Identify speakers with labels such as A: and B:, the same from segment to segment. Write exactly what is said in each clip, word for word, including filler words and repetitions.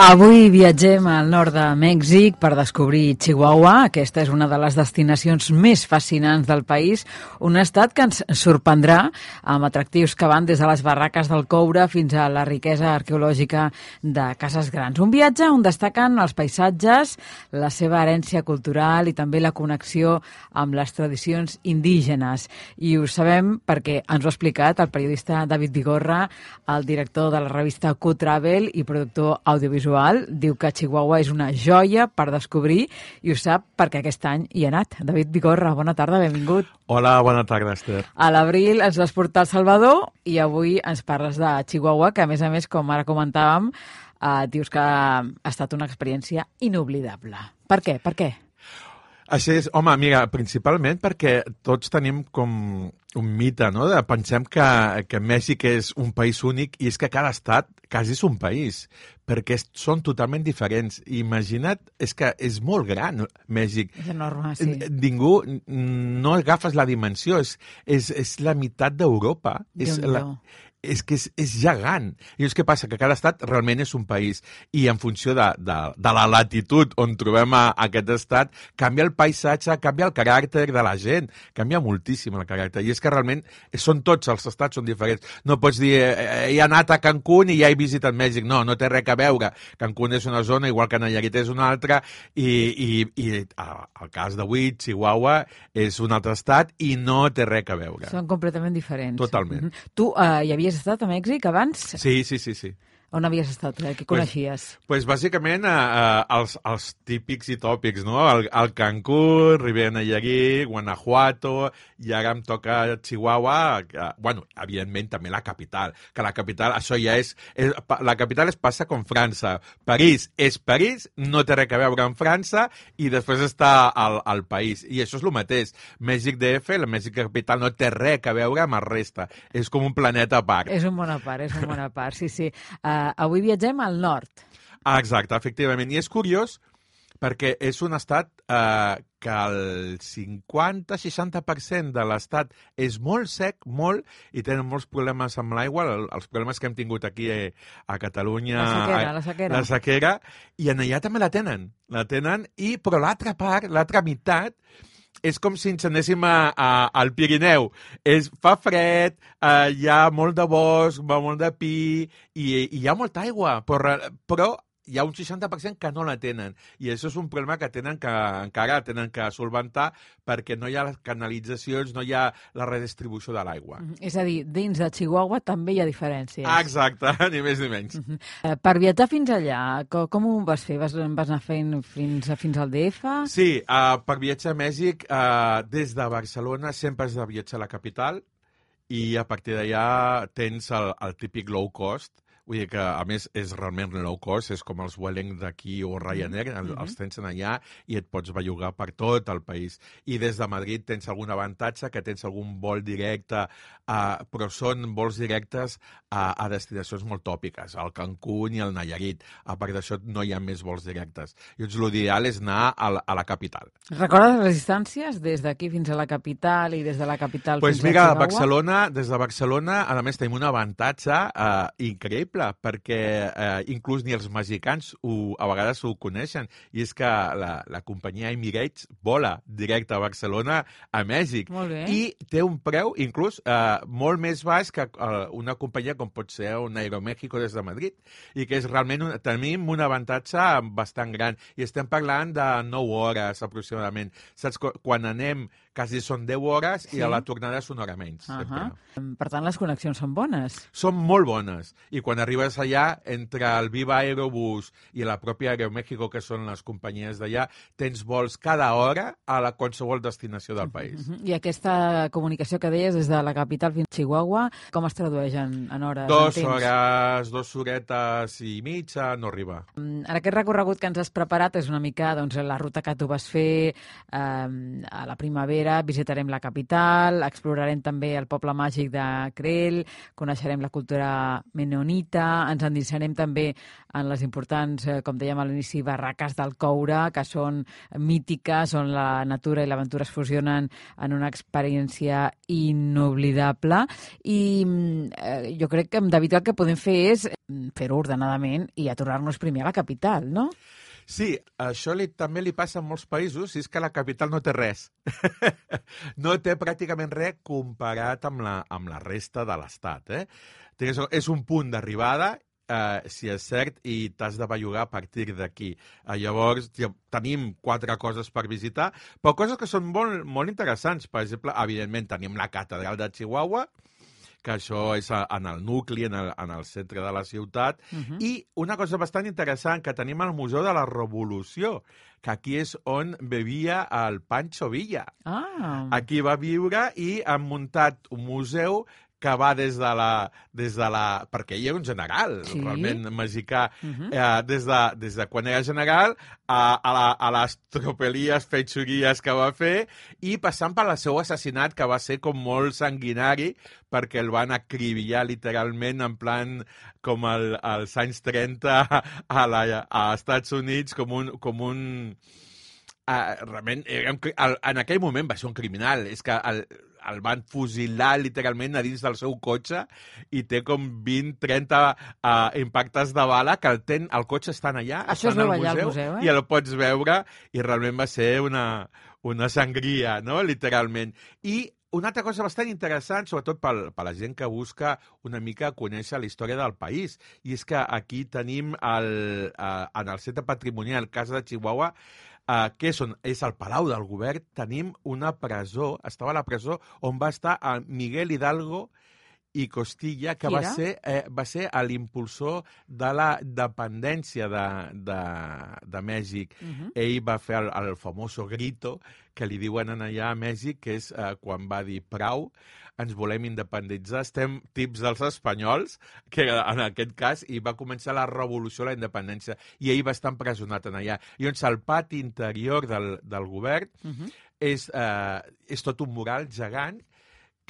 A: Avui viatgem al nord de Mèxic per descobrir Chihuahua. Aquesta és una de les destinacions més fascinants del país, un estat que ens sorprendrà amb atractius que van des de les barraques del coure fins a la riquesa arqueològica de cases grans. Un viatge on destaquen els paisatges, la seva herència cultural i també la connexió amb les tradicions indígenes. I ho sabem perquè ens ho ha explicat el periodista David Vigorra, el director de la revista Q-Travel i productor audiovisual. Diu que Chihuahua és una joia per descobrir i ho sap perquè aquest any hi ha anat. David Vigorra, bona tarda, benvingut.
B: Hola, bona tarda, Esther.
A: A l'abril ens vas portar al Salvador i avui ens parles de Chihuahua, que a més a més, com ara comentàvem, eh, dius que ha estat una experiència inoblidable. Per què? Per què?
B: Això és, home, mira, principalment perquè tots tenim com un mite, no? De, pensem que, que Mèxic és un país únic i és que cada estat quasi és un país, perquè són totalment diferents. Imagina't, és que és molt gran, Mèxic.
A: És enorme, sí.
B: Ningú, no agafes la dimensió, és, és, és la meitat d'Europa. És la... és que és, és gegant. I és que passa que cada estat realment és un país i en funció de, de, de la latitud on trobem a, a aquest estat, canvia el paisatge, canvia el caràcter de la gent, canvia moltíssim el caràcter. I és que realment són tots els estats són diferents. No pots dir, eh, he anat a Cancún i ja he visitat Mèxic. No, no té res a veure. Cancún és una zona, igual que Nayarit és una altra, i, i, i el cas d'avui, Chihuahua, és un altre estat i no té res a veure.
A: Són completament diferents.
B: Totalment.
A: Mm-hmm. Tu eh, hi havies estat a Mèxic abans?
B: Sí, sí, sí, sí.
A: On havies estat? Eh? Què coneixies?
B: Pues, pues bàsicament eh, eh, els, els típics i tòpics, no? El, el Cancún, Ribera Nayarit, Guanajuato, i ara em toca Chihuahua, que, bueno, evidentment també la capital, que la capital, això ja és, és la capital es passa com França. París és París, no té res a veure amb França, i després està al, al país. I això és el mateix. Mèxic D F, la Mèxic capital, no té res a veure amb la resta. És com un planeta a part.
A: És un bon a part, és un bon a part, sí, sí. Uh, Uh, avui viatgem al nord.
B: Ah, exacte, efectivament. I és curiós perquè és un estat uh, que el cinquanta a seixanta per cent de l'estat és molt sec, molt, i tenen molts problemes amb l'aigua, els problemes que hem tingut aquí eh, a Catalunya.
A: La sequera, la sequera.
B: La sequera, i en allà també la tenen. La tenen, i, però l'altra part, l'altra meitat, és com si ens anéssim a, a, al Pirineu. És, fa fred, eh, hi ha molt de bosc, va molt de pi, i, i hi ha molta aigua, però, però hi ha un seixanta per cent que no la tenen. I això és un problema que tenen que encara tenen que solventar perquè no hi ha les canalitzacions, no hi ha la redistribució de l'aigua.
A: Mm -hmm. És a dir, dins de Chihuahua també hi ha diferències.
B: Ah, exacte, ni més ni menys.
A: Mm -hmm. eh, per viatjar fins allà, com, com ho vas fer? Vas, vas anar fent fins, fins al D F?
B: Sí, uh, per viatjar a Mèxic, uh, des de Barcelona sempre has de viatjar a la capital i a partir d'allà tens el, el típic low cost. Vull dir que, a més, és realment low cost, és com els Vueling d'aquí o Ryanair, mm-hmm. els tens allà i et pots bellugar per tot el país. I des de Madrid tens algun avantatge, que tens algun vol directe, uh, però són vols directes a, a destinacions molt tòpiques, al Cancún i al Nayarit. A part d'això, no hi ha més vols directes. Llavors, l'ideal és anar a la, a la capital.
A: Recordes les distàncies des d'aquí fins a la capital i des de la capital
B: pues
A: fins
B: mira,
A: a Chihuahua?
B: Barcelona, des de Barcelona, a més, tenim un avantatge uh, increïble, perquè eh, inclús ni els mexicans ho, a vegades ho coneixen, i és que la, la companyia Emirates vola directe a Barcelona a Mèxic.
A: Molt bé.
B: I té un preu inclús eh, molt més baix que eh, una companyia com pot ser un Aeroméxico des de Madrid, i que és realment un, tenim un avantatge bastant gran, i estem parlant de nou hores aproximadament. Saps? Quan anem quasi són deu hores, sí, i a la tornada és una hora menys.
A: Uh -huh. Per tant, les connexions són bones.
B: Són molt bones, i quan arribes allà, entre el Viva Aerobús i la pròpia Aeroméxico, que són les companyies d'allà, tens vols cada hora a la qualsevol destinació del país.
A: Uh -huh. I aquesta comunicació que deies des de la capital fins a Chihuahua, com es tradueix en, en hores?
B: Dos
A: en
B: hores, dos horetes i mitja, no arriba.
A: En aquest recorregut que ens has preparat és una mica doncs, la ruta que tu vas fer eh, a la primavera propera visitarem la capital, explorarem també el poble màgic de Creel, coneixerem la cultura menonita, ens endinsarem també en les importants, com dèiem a l'inici, barraques del coure, que són mítiques, on la natura i l'aventura es fusionen en una experiència inoblidable. I eh, jo crec que amb David el que podem fer és fer-ho ordenadament i aturar-nos primer a la capital, no?
B: Sí, això li, també li passa en molts països, i és que la capital no té res. No té pràcticament res comparat amb la, amb la resta de l'estat. Eh? És un punt d'arribada, eh, si és cert, i t'has de bellugar a partir d'aquí. Eh, llavors, tenim quatre coses per visitar, però coses que són molt, molt interessants. Per exemple, evidentment, tenim la catedral de Chihuahua, que això és en el nucli, en el, en el centre de la ciutat, uh-huh. I una cosa bastant interessant, que tenim el Museu de la Revolució, que aquí és on vivia el Pancho Villa.
A: Ah.
B: Aquí va viure i han muntat un museu que va des de la... Des de la perquè ell era un general, sí? Realment mexicà, uh-huh. eh, des, de, des de quan era general a, a, la, a les tropelies, fetxuries que va fer, i passant per el seu assassinat, que va ser com molt sanguinari, perquè el van acribillar literalment en plan com el, als anys trenta a, la, a Estats Units, com un... Com un Uh, realment, el, en aquell moment va ser un criminal. És que el, el van fusilar literalment a dins del seu cotxe i té com vint trenta uh, impactes de bala que el, ten, el cotxe estan allà,
A: això
B: estan
A: al
B: museu,
A: al museu eh?
B: I el pots veure, i realment va ser una, una sangria, no? Literalment. I una altra cosa bastant interessant, sobretot per, per la gent que busca una mica conèixer la història del país, i és que aquí tenim el, uh, en el centre patrimonial Casa de Chihuahua, Uh, que és, on, és el Palau del Govern, tenim una presó, estava a la presó on va estar el Miguel Hidalgo i Costilla, que va ser, eh, va ser l'impulsor de la dependència de, de, de Mèxic. Uh-huh. Ell va fer el, el famoso grito, que li diuen allà a Mèxic, que és eh, quan va dir prou, ens volem independitzar, estem tips dels espanyols, que en aquest cas, i va començar la revolució a la independència, i ell va estar empresonat en allà. I llavors el pati interior del, del govern uh-huh. és, eh, és tot un mural gegant,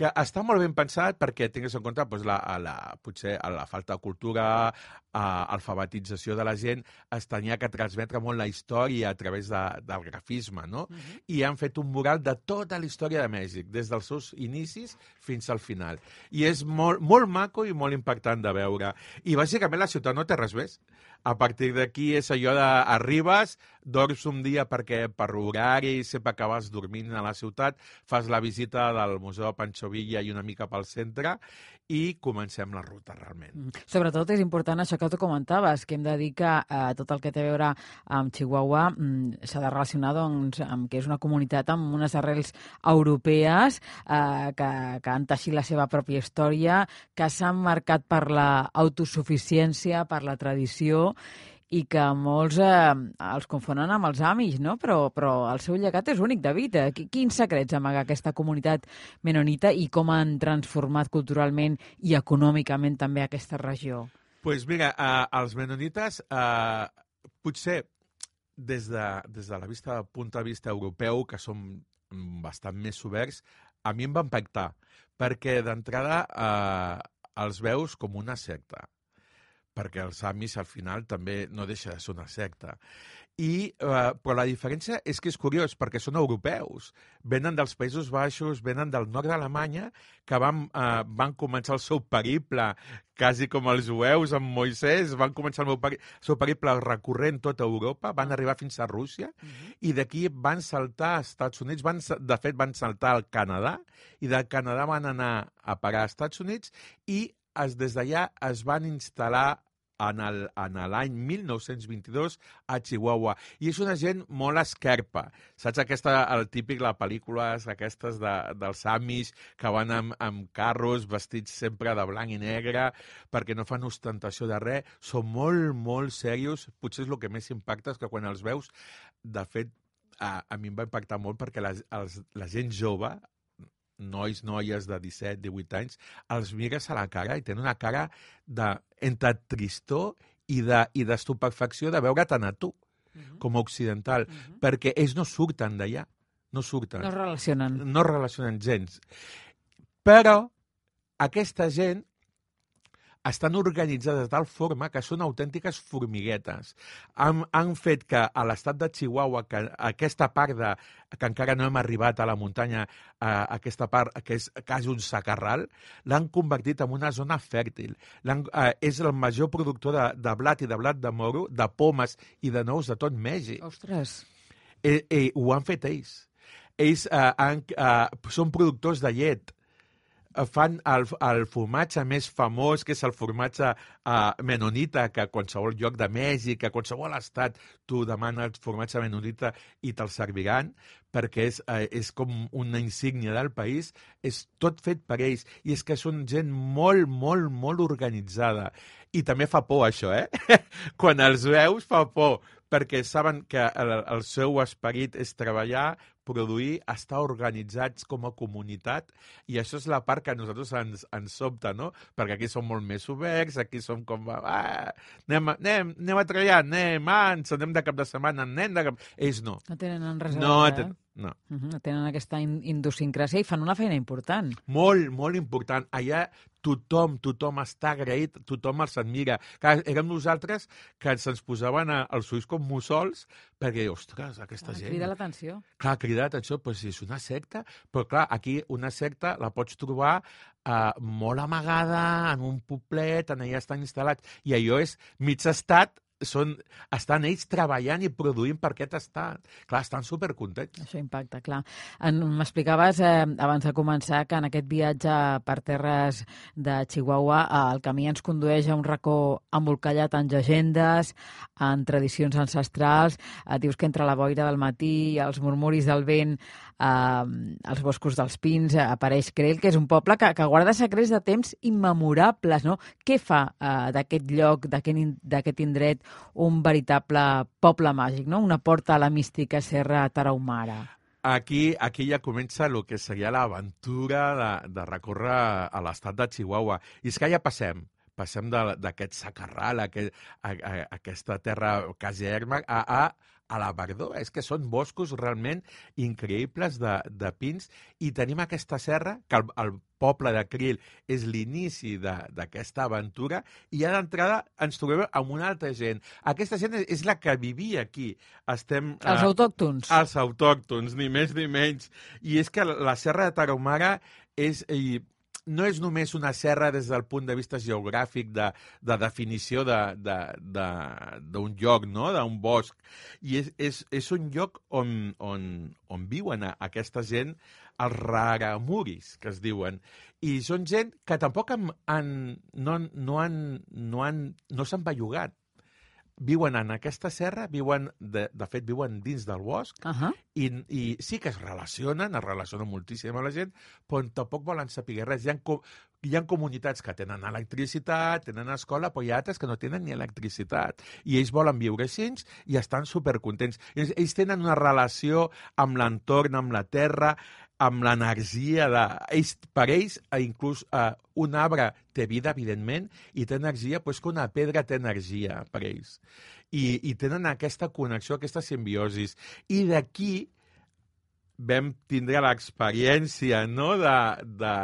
B: que està molt ben pensat perquè tingues en compte doncs, la, la, potser la falta de cultura, a, alfabetització de la gent, es tenia que transmetre molt la història a través de, del grafisme, no? Uh-huh. I han fet un mural de tota la història de Mèxic, des dels seus inicis fins al final. I és molt, molt maco i molt impactant de veure. I bàsicament la ciutat no té res més. A partir d'aquí és allò d'arribes, dorms un dia perquè per horari sempre acabes dormint a la ciutat, fas la visita del Museu de Pancho Villa i una mica pel centre i comencem la ruta realment.
A: Mm. Sobretot és important això que tu comentaves, que hem de dir que eh, tot el que té a veure amb Chihuahua mm, s'ha de relacionar doncs, amb que és una comunitat amb unes arrels europees eh, que, que han teixit la seva pròpia història, que s'han marcat per l'autosuficiència, per la tradició, i que molts eh, els confonen amb els Amish, no? Però, però el seu llegat és únic, David. Quins secrets amaga aquesta comunitat menonita i com han transformat culturalment i econòmicament també aquesta regió?
B: Doncs pues mira, eh, els menonites, eh, potser des de, des de la vista, punt de vista europeu, que som bastant més oberts, a mi em va impactar, perquè d'entrada eh, els veus com una secta, perquè els Amis al final també no deixa de ser una secta. I, eh, però la diferència és que és curiós, perquè són europeus. Venen dels Països Baixos, venen del nord d'Alemanya, que van, eh, van començar el seu periple, quasi com els jueus amb Moisès, van començar el peri seu periple recorrent tota Europa, van arribar fins a Rússia, uh-huh. i d'aquí van saltar als Estats Units, van, de fet van saltar al Canadà, i del Canadà van anar a parar als Estats Units, i es, des d'allà es van instal·lar en l'any mil nou-cents vint-i-dos a Chihuahua. I és una gent molt esquerpa. Saps aquesta, el típic, les pel·lícules aquestes de, dels Amish, que van amb, amb carros vestits sempre de blanc i negre, perquè no fan ostentació de res. Són molt, molt serios. Potser és el que més impacta, és que quan els veus, de fet, a, a mi em va impactar molt perquè la, els, la gent jove, nois, noies de disset, divuit anys, els mires a la cara i tenen una cara de, entre tristor i d'estupefacció de, i de veure't a tu, uh-huh. com a occidental, uh-huh. perquè ells no surten d'allà. no surten.
A: No es relacionen.
B: No es relacionen gens. Però aquesta gent estan organitzades de tal forma que són autèntiques formiguetes. Han, han fet que a l'estat de Chihuahua, que aquesta part de, que encara no hem arribat a la muntanya, a aquesta part que és quasi un sacarral, l'han convertit en una zona fèrtil. Eh, és el major productor de, de blat i de blat de moro, de pomes i de nous de tot Mèxic.
A: Ostres!
B: Eh, eh, ho han fet ells. Ells eh, han, eh, són productors de llet, fan el, el formatge més famós, que és el formatge uh, menonita, que a qualsevol lloc de Mèxic, a qualsevol estat, tu demanes formatge menonita i te'l serviran, perquè és, uh, és com una insígnia del país, és tot fet per ells, i és que són gent molt, molt, molt organitzada. I també fa por, això, eh? Quan els veus fa por, perquè saben que el, el seu esperit és treballar, produir, estar organitzats com a comunitat, i això és la part que a nosaltres ens, ens sobta, no? Perquè aquí som molt més oberts, aquí som com... Ah, anem, anem, anem a treballar, anem, ah, ens anem de cap de setmana, anem de cap... Ells no.
A: No tenen res a
B: no,
A: veure,
B: ten...
A: eh?
B: No.
A: Uh -huh. Tenen aquesta idiosincràsia i fan una feina important.
B: Molt, molt important. Allà tothom, tothom està agraït, tothom els admira. Clar, érem nosaltres que se'ns posaven a, als ulls com mussols perquè, ostres, aquesta
A: clar,
B: gent...
A: Crida l'atenció.
B: Clar, crida l'atenció, però si és una secta, però clar, aquí una secta la pots trobar eh, molt amagada, en un poblet, en allà estan instal·lats, i allò és mig estat, són, estan ells treballant i produint per aquest estat. Clar, estan supercontents.
A: Això impacta, clar. M'explicaves eh, abans de començar que en aquest viatge per terres de Chihuahua eh, el camí ens condueix a un racó embolcallat en llegendes, en tradicions ancestrals. Eh, dius que entre la boira del matí i els murmuris del vent eh, als boscos dels pins eh, apareix Creel, que és un poble que, que guarda secrets de temps immemorables, no? Què fa eh, d'aquest lloc, d'aquest indret, un veritable poble màgic, no? Una porta a la mística Serra Tarahumara.
B: Aquí, aquí ja comença el que seria l'aventura de, de recórrer a l'estat de Chihuahua. I és que ja passem, passem d'aquest sacarral, aquest, a, a, a aquesta terra quasi erma, a, a, a la verdor. És que són boscos realment increïbles de, de pins, i tenim aquesta serra, que el, el poble de Creel és l'inici d'aquesta aventura, i ja d'entrada ens trobem amb una altra gent. Aquesta gent és la que vivia aquí. Estem,
A: els autòctons.
B: Eh, els autòctons, ni més ni menys. I és que la Serra de Tarahumara és... I, no és només una serra des del punt de vista geogràfic de, de definició d'un de, de, de, lloc, no? D'un bosc. I és, és, és un lloc on, on, on viuen aquesta gent, els raramuris, que es diuen. I són gent que tampoc han, han, no, no, han, no, han, no s'han bellugat. Viuen en aquesta serra, viuen de, de fet, viuen dins del bosc, uh -huh. i, i sí que es relacionen, es relacionen moltíssim amb la gent, però tampoc volen saber res. Hi ha, hi ha comunitats que tenen electricitat, tenen escola, però hi ha altres que no tenen ni electricitat. I ells volen viure així i estan supercontents. Ells, ells tenen una relació amb l'entorn, amb la terra, amb l'energia de... Ells, per ells, inclús eh, un arbre té vida, evidentment, i té energia, doncs que una pedra té energia per ells. I, i tenen aquesta connexió, aquesta simbiosi. I d'aquí vam tindre l'experiència, no?, de, de,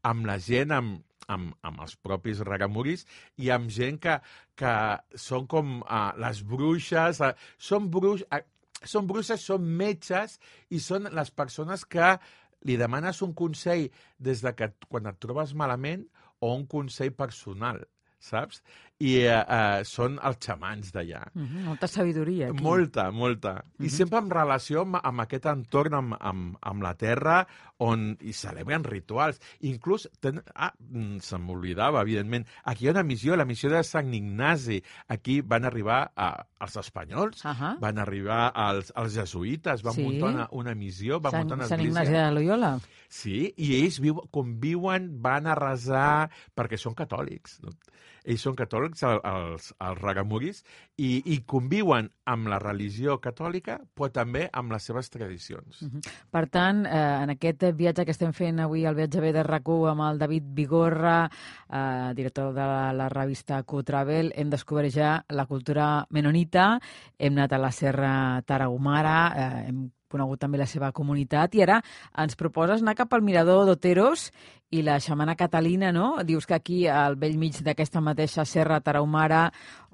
B: amb la gent, amb, amb, amb els propis raramuris, i amb gent que, que són com uh, les bruixes, uh, són bruixes... Uh, Són bruixes, són metges, i són les persones que li demanes un consell des de que quan et trobes malament, o un consell personal, saps? I eh, eh, són els xamans d'allà.
A: Uh -huh, molta sabidoria aquí. Molta,
B: molta. Uh -huh. I sempre en relació amb, amb aquest entorn, amb, amb, amb la terra, on hi celebren rituals. Inclús, ten... ah, se m'oblidava, evidentment, aquí hi ha una missió, la missió de Sant Ignasi. Aquí van arribar a, els espanyols, uh -huh. van arribar els, els jesuïtes, van sí. muntar una, una missió, van
A: Sant,
B: muntar una
A: Sant
B: església.
A: Sant Ignasi de Loyola.
B: Sí, i ells viu, conviuen, van a resar, perquè són catòlics, no? ells són catòlics, els, els ragamuris, i, i conviuen amb la religió catòlica, però també amb les seves tradicions.
A: Uh-huh. Per tant, eh, en aquest viatge que estem fent avui, el viatge B de RAC u amb el David Vigorra, eh, director de la, la revista Q-Travel, hem descobert ja la cultura menonita, hem anat a la Serra Tarahumara, eh, hem conegut també la seva comunitat, i ara ens proposes anar cap al Mirador d'Oteros i la xamana Catalina, no? Dius que aquí, al bell mig d'aquesta mateixa Serra Tarahumara,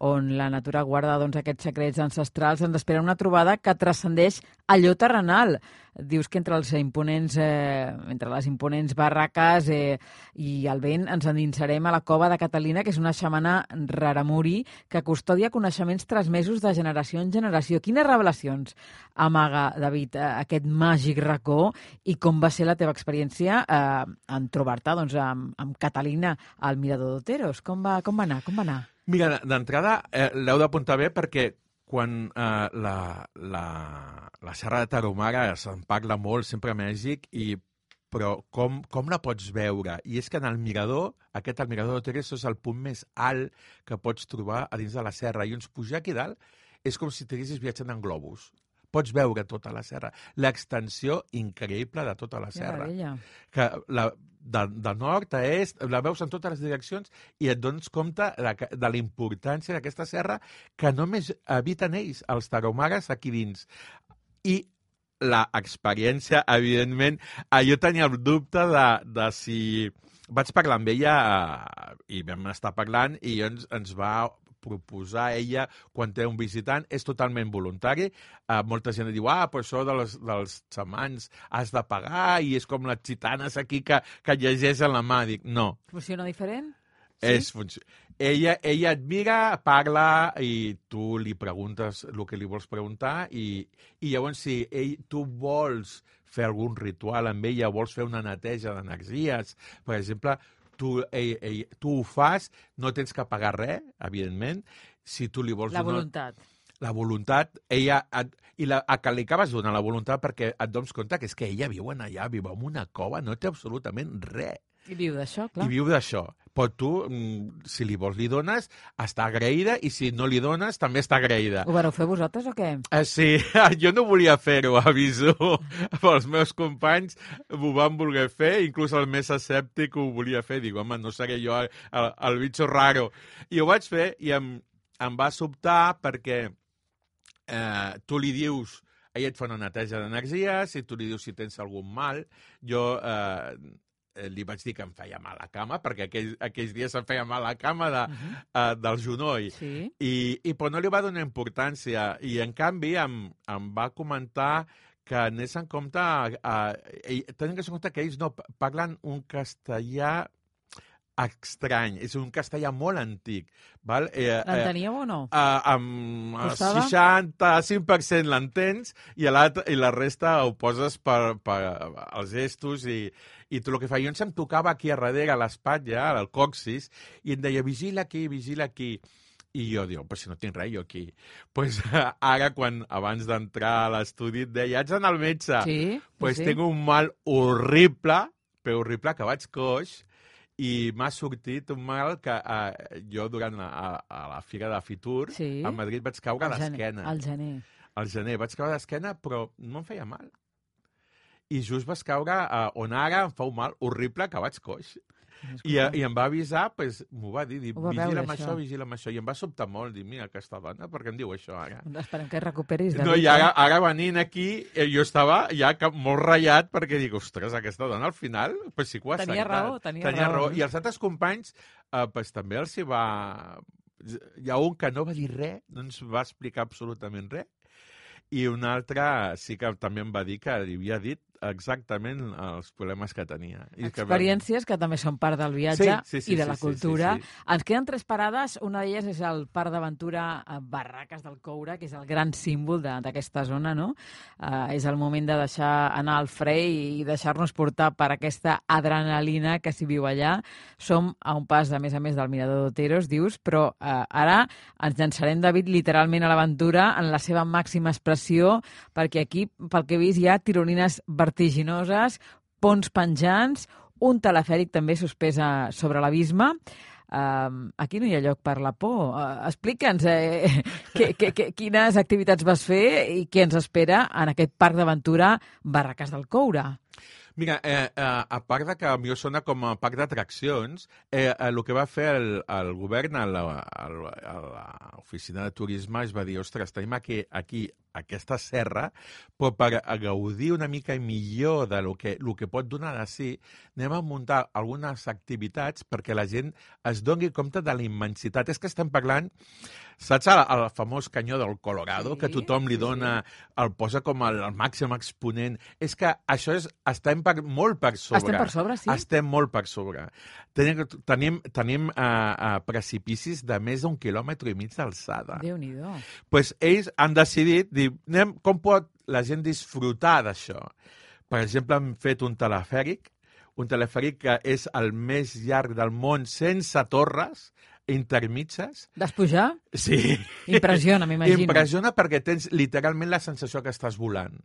A: on la natura guarda doncs, aquests secrets ancestrals, ens espera una trobada que transcendeix allò terrenal. Dius que entre els imponents, eh, entre les imponents barraques eh, i el vent ens endinsarem a la cova de Catalina, que és una xamana raramuri que custodia coneixements transmesos de generació en generació. Quines revelacions amaga, David, aquest màgic racó, i com va ser la teva experiència eh, en trobar-te doncs, amb, amb Catalina al Mirador d'Oteros? Com va, com va anar? Com va anar?
B: Mira, d'entrada eh, l'heu d'apuntar bé perquè quan eh, la, la, la Serra de Tarahumara se'n parla molt, sempre a Mèxic, i, però com, com la pots veure? I és que en el mirador, aquest el Mirador d'Oteros és el punt més alt que pots trobar a dins de la serra, i uns pujar aquí dalt és com si estiguessis viatjant en globus. Pots veure tota la serra, l'extensió increïble de tota la serra. Que la, de, de nord a est, la veus en totes les direccions i et dones compte de, de la importància d'aquesta serra, que només habiten ells, els tarahumares, aquí dins. I l'experiència, evidentment, jo tenia el dubte de, de si... Vaig parlar amb ella i vam estar parlant i ens, ens va proposar ella, quan té un visitant, és totalment voluntari. Uh, molta gent diu, ah, però això de les, dels xamans has de pagar i és com les gitanes aquí que, que llegeixen la mà. Dic, no.
A: Funciona diferent?
B: Sí? És funció... ella, ella et mira, parla i tu li preguntes el que li vols preguntar i, i llavors si ell, tu vols fer algun ritual amb ella, vols fer una neteja d'energies, per exemple, Tu, ell, ell, tu ho fas, no tens que pagar res, evidentment. Si tu li vols
A: la
B: donar...
A: voluntat.
B: La voluntat, ella... Et, I la, a que li acabes donant la voluntat perquè et dones compte que és que ella viu en allà, viu en una cova, no té absolutament res.
A: I viu d'això, clar.
B: I viu d'això. Però tu, si li vols, li dones, està agraïda, i si no li dones, també està agraïda.
A: Ho vareu fer vosaltres o què?
B: Uh, sí, jo no volia fer-ho, aviso. Els meus companys ho van voler fer, inclús el més escèptic ho volia fer. Dic, home, no seré jo el, el, el bitxo raro. I ho vaig fer i em, em va sobtar perquè eh, tu li dius... Ella et fa una neteja d'energies i tu li dius si tens algun mal. Jo... Eh, li vaig dir que em feia mal a la cama, perquè aquells, aquells dies em feia mal a la cama de, uh-huh. uh, del genoll.
A: Sí.
B: I, i però no li va donar importància. I, en canvi, em, em va comentar que anés en compte... Uh, tenint en compte que ells no parlen un castellà estrany, és un castellà molt antic. Val? Eh,
A: L'enteníeu o no?
B: Eh, amb el seixanta-cinc per cent l'entens i, i la resta ho poses per, per els gestos i, i tot el que fa. Jo em tocava aquí a darrere, a l'espatlla, al coxis, i em deia, vigila aquí, vigila aquí. I jo dic, però si no tinc res jo aquí. Pues, ara, quan abans d'entrar a l'estudi, et deia, haig d'anar al metge.
A: Sí,
B: pues
A: sí.
B: Tinc un mal horrible, però horrible, que vaig coix, i m'ha sortit un mal que eh, jo durant la, a, a la Fira de Fitur sí. a Madrid vaig caure d'esquena.
A: Al gener.
B: Al gener. Vaig caure d'esquena, però no em feia mal. I just vaig caure eh, on ara em fa un mal horrible que vaig coix. I, I em va avisar, pues, m'ho va dir, dir vigila amb això, vigila amb això. I em va sobtar molt, dir, mira, aquesta dona, per què em diu això ara?
A: Esperem que recuperis.
B: No, i ara, ara venint aquí, jo estava ja molt ratllat, perquè dic, ostres, aquesta dona al final, pues sí que ho ha
A: tenia
B: acceptat.
A: raó, tenia,
B: tenia
A: raó.
B: raó. I els altres companys, eh, pues, també els hi va... Hi ha un que no va dir res, no ens va explicar absolutament res, i un altre sí que també em va dir que li havia dit exactament els problemes que tenia. I
A: Experiències que, vam... que també són part del viatge
B: sí, sí, sí,
A: i de la
B: sí,
A: cultura.
B: Sí, sí, sí.
A: Ens queden tres parades. Una d'elles és el Parc d'Aventura Barraques del Coure, que és el gran símbol d'aquesta zona, no? Uh, és el moment de deixar anar el fre i deixar-nos portar per aquesta adrenalina que s'hi viu allà. Som a un pas, a més a més, del Mirador d'Oteros, dius, però uh, ara ens llançarem, David, literalment a l'aventura en la seva màxima expressió, perquè aquí, pel que he vist, hi ha tirolines vertiginoses, ponts penjants, un telefèric també suspès sobre l'abisme. Uh, aquí no hi ha lloc per la por. Uh, Explica'ns eh, que, que, que, quines activitats vas fer i què ens espera en aquest parc d'aventura Barraques del Coure.
B: Mira, eh, eh, a part de que potser sona com a parc d'atraccions, eh, eh, el que va fer el, el govern a l'oficina de turisme es va dir, ostres, tenim aquí, aquí aquesta serra, però per gaudir una mica millor de lo que, lo que pot donar de si, anem a muntar algunes activitats perquè la gent es doni compte de la immensitat. És que estem parlant, saps el, el famós canyó del Colorado, sí, que tothom li dona, sí, sí. el posa com el, el màxim exponent? És que això és, estem per, molt per sobre.
A: Estem per sobre, sí?
B: Estem molt per sobre. Tenim, tenim, tenim uh, uh, precipicis de més d'un quilòmetre i mig d'alçada.
A: Déu-n'hi-do.
B: Pues ells han decidit dir, anem, com pot la gent disfrutar d'això? Per exemple, han fet un telefèric, un telefèric que és el més llarg del món sense torres intermitges.
A: Despujar?
B: Sí.
A: Impressiona, m'imagino.
B: Impressiona perquè tens literalment la sensació que estàs volant.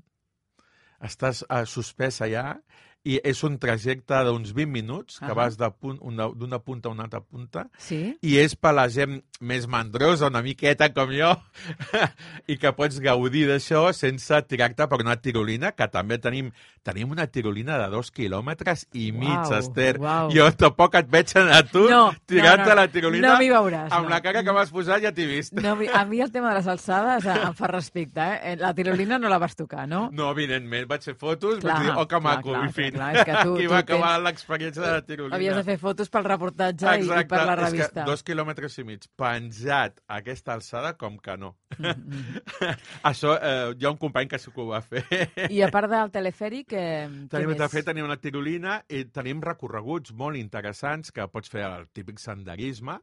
B: Estàs uh, suspès allà i és un trajecte d'uns vint minuts, que uh -huh. vas d'una punta a una altra punta,
A: sí?
B: I és per la gent més mandrosa, una miqueta com jo, i que pots gaudir d'això sense tirar-te per una tirolina, que també tenim tenim una tirolina de dos quilòmetres i mig,
A: uau,
B: Esther.
A: Uau.
B: Jo tampoc et veig a tu
A: no,
B: tirant-te
A: no, no,
B: la tirolina
A: no m'hi veuràs,
B: amb
A: no.
B: la cara que vas posar ja t'he vist.
A: No, a mi el tema de les alçades em fa respecte, eh? La tirolina no la vas tocar, no?
B: No, evidentment, vaig fer fotos,
A: clar,
B: vaig dir, oh, que maco,
A: clar,
B: en fi.
A: Clar, és que tu,
B: aquí
A: tu
B: va acabar
A: tens...
B: l'experiència de la tirolina.
A: Havies de fer fotos pel reportatge Exacte, i per la revista.
B: És que dos quilòmetres i mig penjat a aquesta alçada, com que no. Mm -hmm. Això, eh, hi ha un company que sí que ho va fer.
A: I a part del telefèric, eh,
B: tenim,
A: què més?
B: De fet, tenim una tirolina i tenim recorreguts molt interessants que pots fer el típic senderisme,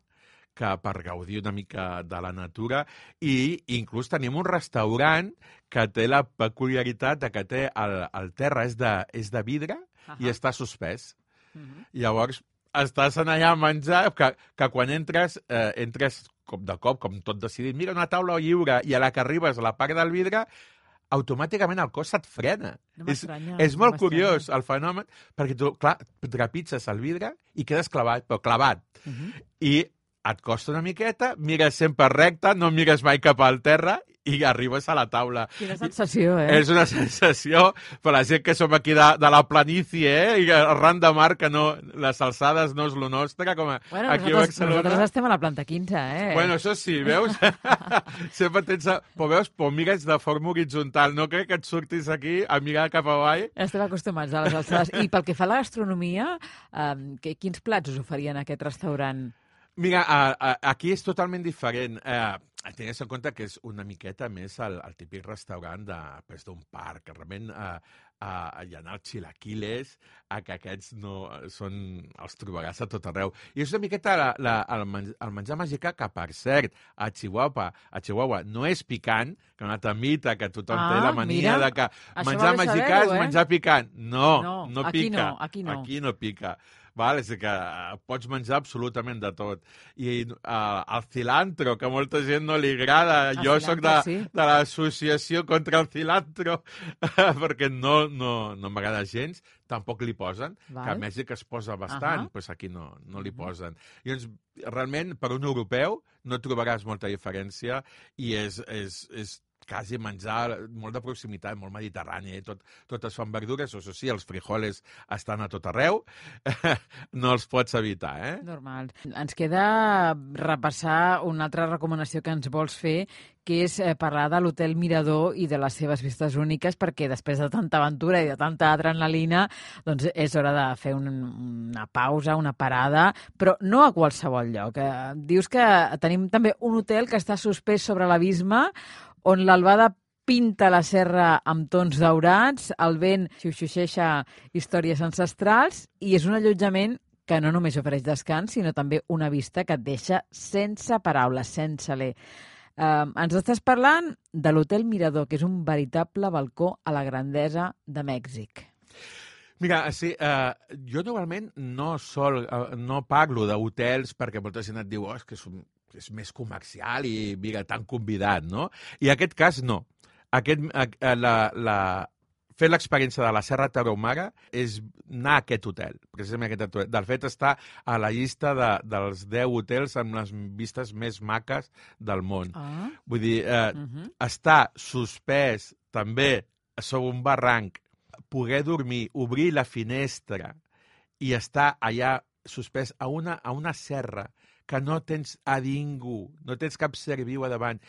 B: que per gaudir una mica de la natura, i inclús tenim un restaurant que té la peculiaritat de que té el, el terra és de, és de vidre uh -huh. i està suspès. Uh -huh. Llavors, estàs allà a menjar, que, que quan entres, eh, entres com de cop, com tot decidit, mira una taula lliure, i a la que arribes a la part del vidre, automàticament el cos se't frena.
A: No
B: és, és
A: no
B: molt curiós el fenomen, perquè tu, clar, trepitges el vidre i quedes clavat, però clavat. Uh -huh. I et costa una miqueta, mires sempre recte, no mires mai cap al terra i arribes a la taula.
A: Quina sensació, eh?
B: És una sensació, per la gent que som aquí de, de la planície, eh? I arran de mar, que no, les alçades no és lo nostre, com a,
A: bueno,
B: aquí
A: nosaltres,
B: a Barcelona.
A: Nosaltres estem a la planta quinze, eh?
B: Bueno, això sí, veus? Sempre tens... A... Però veus, però mires de forma horitzontal. No crec que et surtis aquí a mirar cap avall.
A: Estem acostumats a les alçades. I pel que fa a la gastronomia, eh, que, quins plats us oferien a aquest restaurant?
B: Mira, a, a, aquí és totalment diferent. Eh, Tingues en compte que és una miqueta més el, el típic restaurant d'un parc, que realment eh, eh, hi ha els chilaquiles, eh, que aquests no són, els trobaràs a tot arreu. I és una miqueta la, la, el, men el menjar mexicà, que per cert, a Chihuahua, a Chihuahua no és picant, que una altra mita que tothom
A: ah,
B: té la mania
A: mira,
B: de que menjar mexicà és
A: eh?
B: menjar picant. No,
A: no,
B: no
A: aquí
B: pica.
A: No, aquí no.
B: Aquí no pica. Val? És que pots menjar absolutament de tot. I uh, el cilantro, que a molta gent no li agrada. El jo soc de, sí. de l'associació contra el cilantro, perquè no, no, no m'agrada gens. Tampoc li posen, Val. Que a Mèxic es posa bastant, uh -huh. pues aquí no, no li posen. I doncs, realment, per un europeu no trobaràs molta diferència i és... és, és quasi menjar molt de proximitat, molt mediterrani, eh? tot, tot es fan verdures, això sí, els frijoles estan a tot arreu, no els pots evitar, eh?
A: Normal. Ens queda repassar una altra recomanació que ens vols fer, que és parlar de l'Hotel Mirador i de les seves vistes úniques, perquè després de tanta aventura i de tanta adrenalina, doncs és hora de fer un, una pausa, una parada, però no a qualsevol lloc. Dius que tenim també un hotel que està suspès sobre l'abisme, on l'albada pinta la serra amb tons daurats, el vent xuxuxeixa històries ancestrals i és un allotjament que no només ofereix descans, sinó també una vista que et deixa sense paraules, sense l'e. Uh, ens estàs parlant de l'Hotel Mirador, que és un veritable balcó a la grandesa de Mèxic.
B: Mira, sí, uh, jo normalment no, sol, uh, no parlo d'hotels perquè molta gent et diu oh, és que és un és més comercial i, mira, tan convidat, no? I en aquest cas, no. Aquest, la, la fer l'experiència de la Serra Tarahumara és anar a aquest hotel, precisament aquest hotel. De fet, està a la llista de, dels deu hotels amb les vistes més maques del món.
A: Ah.
B: Vull dir, eh, uh -huh. estar suspès també sobre un barranc, poder dormir, obrir la finestra i estar allà suspès a una, a una serra que no tens a ningú, no tens cap ser viu a davant.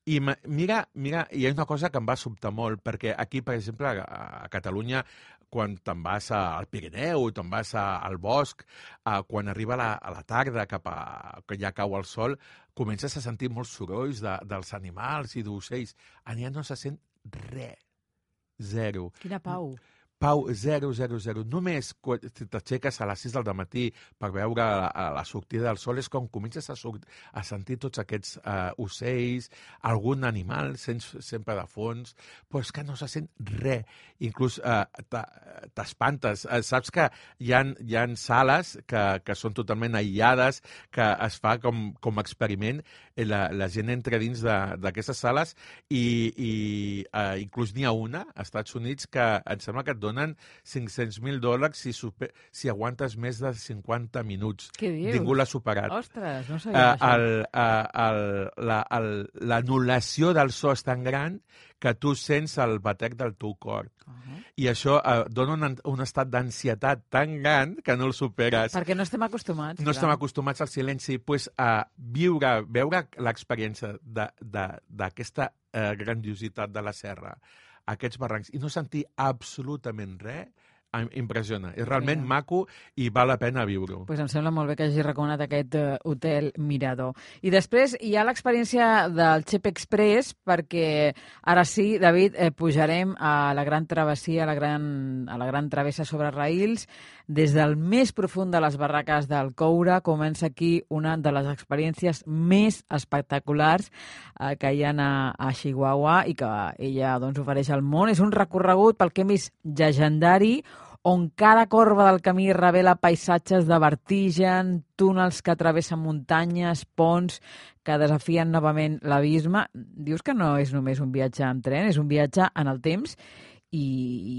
B: I mira, mira, hi ha una cosa que em va sobtar molt, perquè aquí, per exemple, a, a Catalunya, quan te'n vas al Pirineu, te'n vas a, al bosc, a, quan arriba la, a la tarda, cap a, que ja cau el sol, comences a sentir molts sorolls de, dels animals i d'ocells. Allà no se sent res. Zero.
A: Quina pau.
B: Pau, zero, zero, zero. Només quan t'aixeques a les sis del matí per veure la, la sortida del sol és quan comences a, a sentir tots aquests uh, ocells, algun animal sents sempre de fons, però és que no se sent res. Inclús uh, t'espantes. Uh, saps que hi ha, hi ha sales que, que són totalment aïllades, que es fa com, com experiment. La, la gent entra dins d'aquestes sales i, i uh, inclús n'hi ha una, als Estats Units, que em sembla que et donen cinc-cents mil dòlars si, super, si aguantes més de cinquanta minuts.
A: Què dius?
B: Ningú l'ha superat.
A: Ostres, no sabia uh,
B: això. L'anul·lació del so és tan gran que tu sents el batec del teu cor. Uh -huh. I això uh, dona un, un estat d'ansietat tan gran que no el superes.
A: Perquè no estem acostumats.
B: No
A: clar.
B: estem acostumats al silenci. Pues, a viure, veure l'experiència d'aquesta uh, grandiositat de la serra, aquests barrancs, i no sentir absolutament res, impressiona. És realment sí. maco i val la pena viure-ho.
A: Pues em sembla molt bé que hagi recomanat aquest uh, hotel Mirador. I després hi ha l'experiència del Chep Express, perquè ara sí, David, eh, pujarem a la gran travessia, a la gran, a la gran travessa sobre raïls, des del més profund de les barraques del Coure. Comença aquí una de les experiències més espectaculars eh, que hi ha a, a Chihuahua i que ella doncs, ofereix al món. És un recorregut pel que hem vist llegendari, on cada corba del camí revela paisatges de vertigen, túnels que travessen muntanyes, ponts que desafien novament l'abisme. Dius que no és només un viatge en tren, és un viatge en el temps i,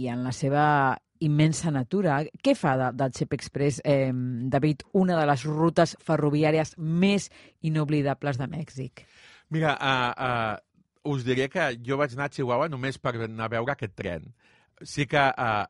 A: i en la seva immensa natura. Què fa de, del Chep Express, eh, David, una de les rutes ferroviàries més inoblidables de Mèxic?
B: Mira, uh, uh, us diré que jo vaig anar a Chihuahua només per anar a veure aquest tren. Sí que uh,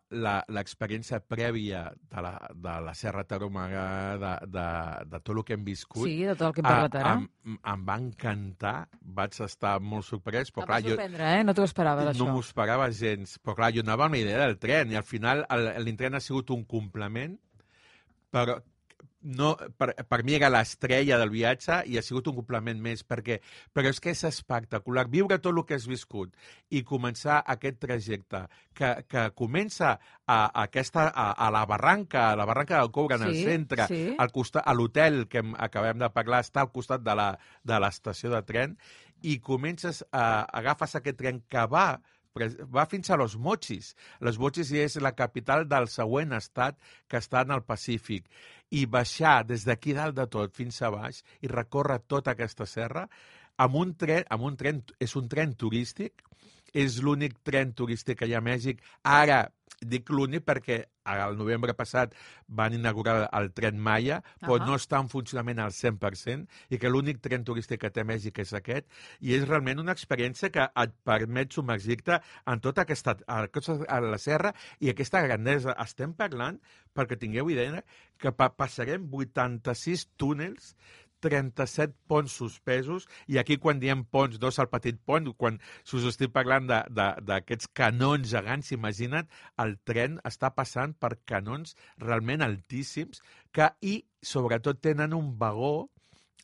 B: l'experiència prèvia de la, de la Serra Tarahumara, de, de, de tot el que hem viscut...
A: Sí, de tot el que hem parlat ara.
B: Uh, em, em va encantar, vaig estar molt sorprès. Però,
A: em
B: clar,
A: va sorprendre, jo, eh? No t'ho esperaves,
B: no
A: això.
B: No m'ho esperava gens. Però, clar, jo anava amb la idea del tren i al final l'intren ha sigut un complement, però... No, per, per mi era l'estrella del viatge i ha sigut un complement més, perquè, però és que és espectacular viure tot el que has viscut i començar aquest trajecte que, que comença a, a, aquesta, a, a la barranca, a la barranca del Coure, en sí, el centre,
A: sí.
B: al costat, a l'hotel que hem, acabem de parlar, està al costat de la, de l'estació de tren, i comences a, agafes aquest tren que va va fins a Los Mochis. Los Mochis és la capital del següent estat que està en el Pacífic. I baixar des d'aquí dalt de tot fins a baix i recórrer tota aquesta serra amb un tren, amb un tren és un tren turístic, és l'únic tren turístic que hi ha a Mèxic. Ara, dic l'únic perquè al novembre passat van inaugurar el tren Maya, però uh -huh. no està en funcionament al cent per cent i que l'únic tren turístic que té Mèxic és aquest, i és realment una experiència que et permet submergir-te en tota aquesta a, a la serra i aquesta grandesa. Estem parlant, perquè tingueu idea, que pa passarem vuitanta-sis túnels, trenta-set ponts suspesos, i aquí quan diem ponts, dos al petit pont, quan us estic parlant d'aquests canons gegants, imagina't, el tren està passant per canons realment altíssims que, i sobretot tenen un vagó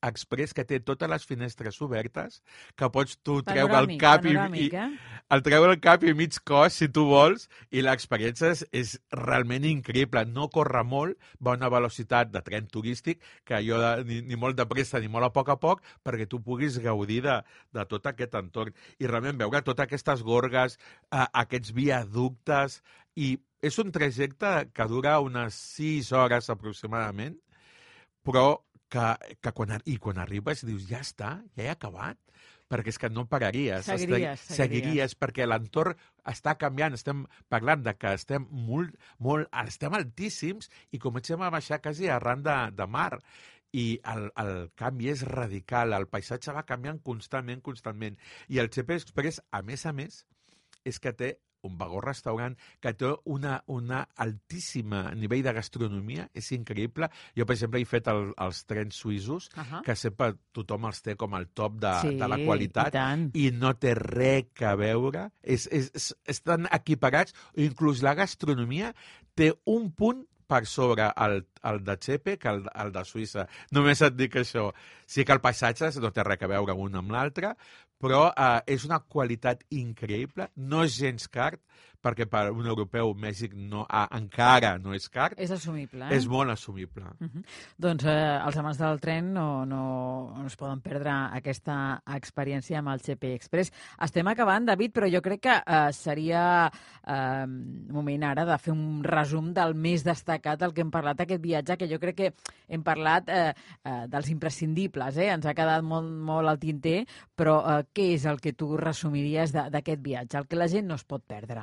B: express que té totes les finestres obertes, que pots tu treure el cap i, i
A: eh?
B: el treure el cap i mig cos, si tu vols, i l'experiència és, és realment increïble. No corre molt, va a una velocitat de tren turístic, que jo de, ni, ni molt de pressa ni molt a poc a poc, perquè tu puguis gaudir de, de tot aquest entorn. I realment veure totes aquestes gorgues, eh, aquests viaductes, i és un trajecte que dura unes sis hores aproximadament, però que, que quan, i quan arribes dius, ja està, ja he acabat, perquè és que no pararies.
A: Seguiries,
B: seguiries. seguiries perquè l'entorn està canviant. Estem parlant de que estem molt, molt, estem altíssims i comencem a baixar quasi arran de, de mar. I el, el canvi és radical, el paisatge va canviant constantment, constantment. I el Chepe Express, a més a més, és que té un vagó-restaurant que té una, una altíssima nivell de gastronomia, és increïble. Jo, per exemple, he fet el, els trens suïssos, uh -huh. que sempre tothom els té com el top de,
A: sí,
B: de la qualitat, i, i no té res a veure. És, és, és, estan equiparats, inclús la gastronomia té un punt per sobre el, el de Chepe que el, el de Suïssa. Només et dic això. Sí que el paisatge no té res a veure un amb l'altre, però eh, és una qualitat increïble, no és gens car, perquè per un europeu Mèxic no, ah, encara no és car.
A: És assumible, eh?
B: És molt assumible.
A: Uh -huh. Doncs eh, els amants del tren no, no, no es poden perdre aquesta experiència amb el Chepe Express. Estem acabant, David, però jo crec que eh, seria eh, moment ara de fer un resum del més destacat del que hem parlat aquest viatge, que jo crec que hem parlat eh, eh, dels imprescindibles, eh? Ens ha quedat molt, molt al tinter, però eh, què és el que tu resumiries d'aquest viatge, el que la gent no es pot perdre?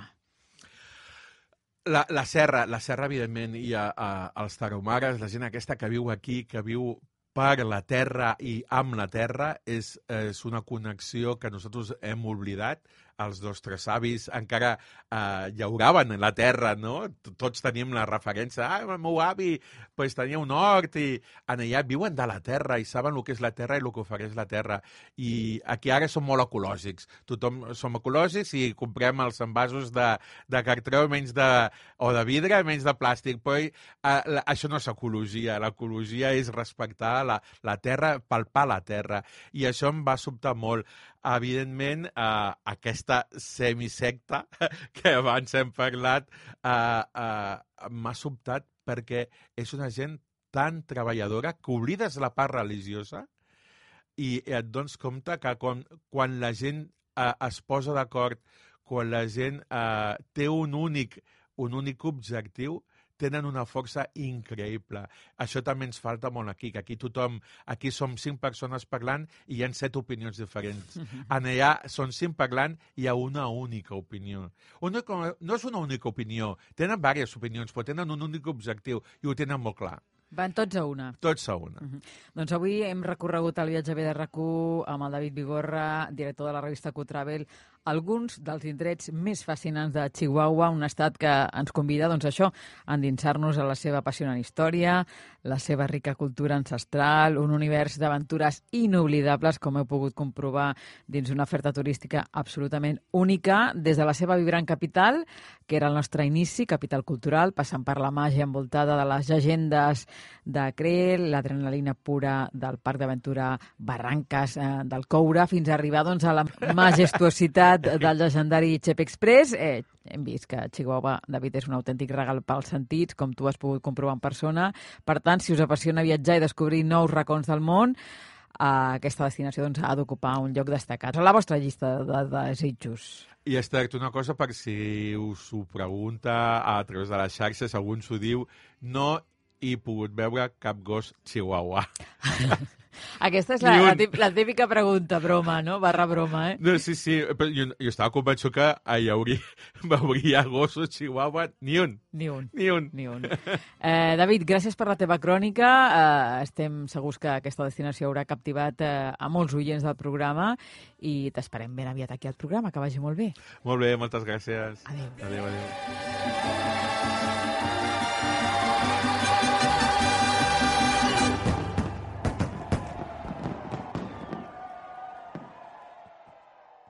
B: La, la serra, la serra, evidentment, i a, a, als tarahumares, la gent aquesta que viu aquí, que viu per la terra i amb la terra, és, és una connexió que nosaltres hem oblidat. Els nostres avis encara eh, llauraven en la terra, no? Tots tenim la referència. Ah, el meu avi pues, tenia un hort i en allà viuen de la terra i saben el que és la terra i el que ofereix la terra. I aquí ara som molt ecològics. Tothom som ecològics i comprem els envasos de, de cartró menys de, o de vidre menys de plàstic. Però eh, la, això no és ecologia. L'ecologia és respectar la, la terra, palpar la terra. I això em va sobtar molt. Evidentment, eh, aquesta semisecta que abans hem parlat eh, eh, m'ha sobtat perquè és una gent tan treballadora que oblides la part religiosa i et dones compte que quan, quan la gent eh, es posa d'acord, quan la gent eh, té un únic, un únic objectiu, tenen una força increïble. Això també ens falta molt aquí, que aquí tothom, aquí som cinc persones parlant i hi ha set opinions diferents. En allà són cinc parlant i hi ha una única opinió. Una, no és una única opinió, tenen diverses opinions, però tenen un únic objectiu i ho tenen molt clar.
A: Van tots a una.
B: Tots a una.
A: Uh -huh. Doncs avui hem recorregut el viatge B de R A C u amb el David Vigorra, director de la revista Q-Travel, alguns dels indrets més fascinants de Chihuahua, un estat que ens convida, doncs això, a endinsar-nos a la seva apassionant història, la seva rica cultura ancestral, un univers d'aventures inoblidables, com heu pogut comprovar dins una oferta turística absolutament única, des de la seva vibrant capital, que era el nostre inici, capital cultural, passant per la màgia envoltada de les llegendes de Creel, l'adrenalina pura del Parc d'Aventura Barranques eh, del Coure, fins a arribar doncs, a la majestuositat del legendari Chepe Express. Eh, hem vist que Chihuahua, David, és un autèntic regal pels sentits, com tu has pogut comprovar en persona. Per tant, si us apassiona viatjar i descobrir nous racons del món, eh, aquesta destinació doncs, ha d'ocupar un lloc destacat a la vostra llista de, de desitjos.
B: I és tracta una cosa, per si us ho pregunta a través de les xarxes, algú ens ho diu, no he pogut veure cap gos chihuahua.
A: Aquesta és la, la, típica, la típica pregunta, broma, no? Barra broma, eh?
B: No, sí, sí, però jo, jo estava convençut que hi hauria, veuria gossos chihuahua, ni un.
A: Ni un.
B: Ni un.
A: Ni un. Eh, David, gràcies per la teva crònica. Eh, estem segurs que aquesta destinació haurà captivat eh, a molts oients del programa i t'esperem ben aviat aquí al programa, que vagi molt bé.
B: Molt bé, moltes gràcies.
A: Adéu.
B: Adéu, adéu.